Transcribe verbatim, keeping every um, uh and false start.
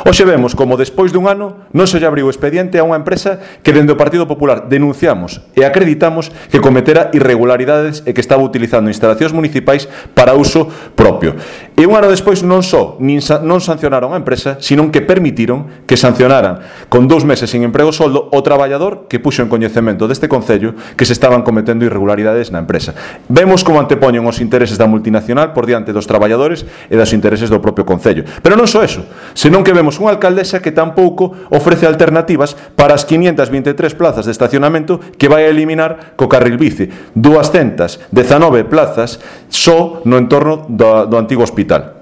Hoxe vemos como despois dun ano non se lle abriu expediente a unha empresa que dende o Partido Popular denunciamos e acreditamos que cometera irregularidades e que estaba utilizando instalacións municipais para uso propio. E un ano despois non só nin sa non sancionaron a empresa, sino que permitiron que sancionaran con dous meses sin emprego soldo o traballador que puxo en coñecemento deste Concello que se estaban cometendo irregularidades na empresa. Vemos como antepoñen os intereses da multinacional por diante dos traballadores e dos intereses do propio Concello. Pero non só eso, senón que vemos unha alcaldesa que tampouco ofrece alternativas para as quinientas vinte e tres plazas de estacionamento que vai a eliminar co carril bici, dúascentas dezanove plazas só no entorno do, do antigo hospital.